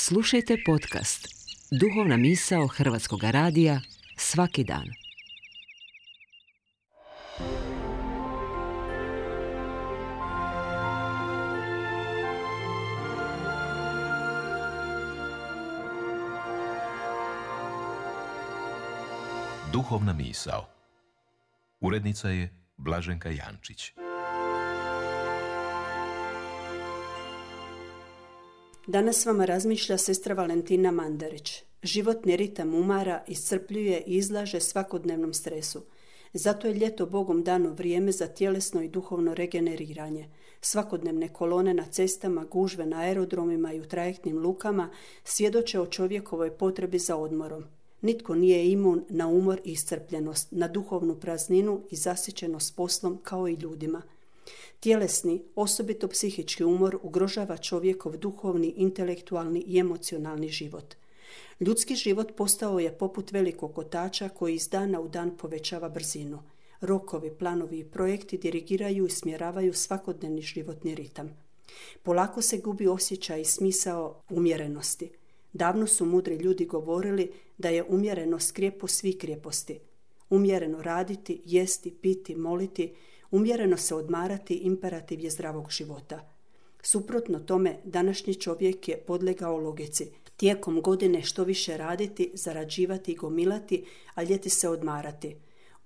Slušajte podcast Duhovna misao Hrvatskog radija svaki dan. Duhovna misao. Urednica je Blaženka Jančić. Danas vama razmišlja sestra Valentina Mandarić. Životni ritam umara, iscrpljuje i izlaže svakodnevnom stresu. Zato je ljeto Bogom dano vrijeme za tjelesno i duhovno regeneriranje. Svakodnevne kolone na cestama, gužve na aerodromima i u trajektnim lukama svjedoče o čovjekovoj potrebi za odmorom. Nitko nije imun na umor i iscrpljenost, na duhovnu prazninu i zasićenost poslom kao i ljudima. Tjelesni, osobito psihički umor ugrožava čovjekov duhovni, intelektualni i emocionalni život. Ljudski život postao je poput velikog kotača koji iz dana u dan povećava brzinu. Rokovi, planovi i projekti dirigiraju i smjeravaju svakodnevni životni ritam. Polako se gubi osjećaj i smisao umjerenosti. Davno su mudri ljudi govorili da je umjerenost krijepost svih krijeposti. Umjereno raditi, jesti, piti, moliti, umjereno se odmarati imperativ je zdravog života. Suprotno tome, današnji čovjek je podlegao logici. Tijekom godine što više raditi, zarađivati i gomilati, a ljeti se odmarati.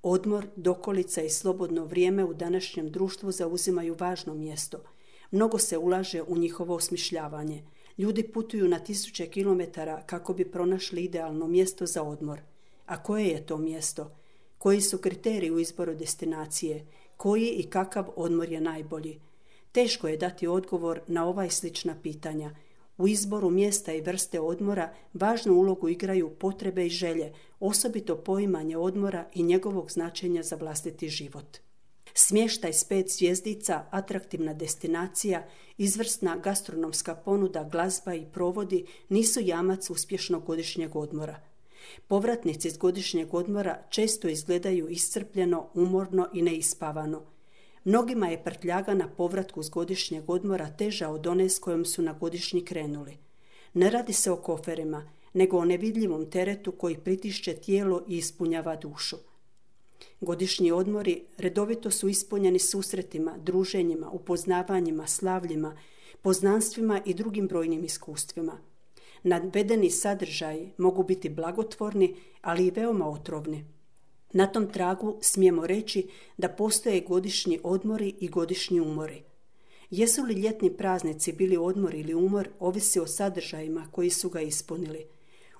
Odmor, dokolica i slobodno vrijeme u današnjem društvu zauzimaju važno mjesto. Mnogo se ulaže u njihovo osmišljavanje. Ljudi putuju na 1000 kilometara kako bi pronašli idealno mjesto za odmor. A koje je to mjesto? Koji su kriteriji u izboru destinacije? Koji i kakav odmor je najbolji? Teško je dati odgovor na ova i slična pitanja. U izboru mjesta i vrste odmora važnu ulogu igraju potrebe i želje, osobito poimanje odmora i njegovog značenja za vlastiti život. Smještaj s 5 zvjezdica, atraktivna destinacija, izvrsna gastronomska ponuda, glazba i provodi nisu jamac uspješnog godišnjeg odmora. Povratnici iz godišnjeg odmora često izgledaju iscrpljeno, umorno i neispavano. Mnogima je prtljaga na povratku s godišnjeg odmora teža od one s kojom su na godišnji krenuli. Ne radi se o koferima, nego o nevidljivom teretu koji pritišće tijelo i ispunjava dušu. Godišnji odmori redovito su ispunjeni susretima, druženjima, upoznavanjima, slavljima, poznanstvima i drugim brojnim iskustvima. Navedeni sadržaji mogu biti blagotvorni, ali i veoma otrovni. Na tom tragu smijemo reći da postoje godišnji odmori i godišnji umori. Jesu li ljetni praznici bili odmor ili umor, ovisi o sadržajima koji su ga ispunili.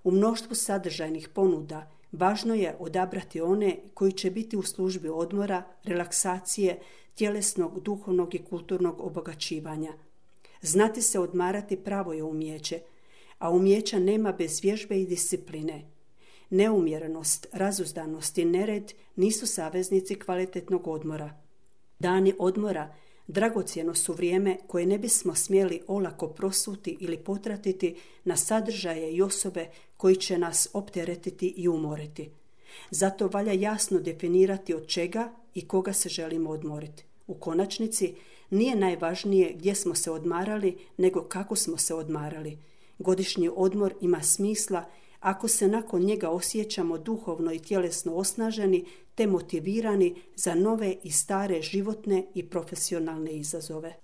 U mnoštvu sadržajnih ponuda važno je odabrati one koji će biti u službi odmora, relaksacije, tjelesnog, duhovnog i kulturnog obogaćivanja. Znati se odmarati pravo je umijeće, a umijeća nema bez vježbe i discipline. Neumjerenost, razuzdanost i nered nisu saveznici kvalitetnog odmora. Dani odmora dragocjeno su vrijeme koje ne bismo smjeli olako prosuti ili potratiti na sadržaje i osobe koji će nas opteretiti i umoriti. Zato valja jasno definirati od čega i koga se želimo odmoriti. U konačnici nije najvažnije gdje smo se odmarali, nego kako smo se odmarali. Godišnji odmor ima smisla ako se nakon njega osjećamo duhovno i tjelesno osnaženi te motivirani za nove i stare životne i profesionalne izazove.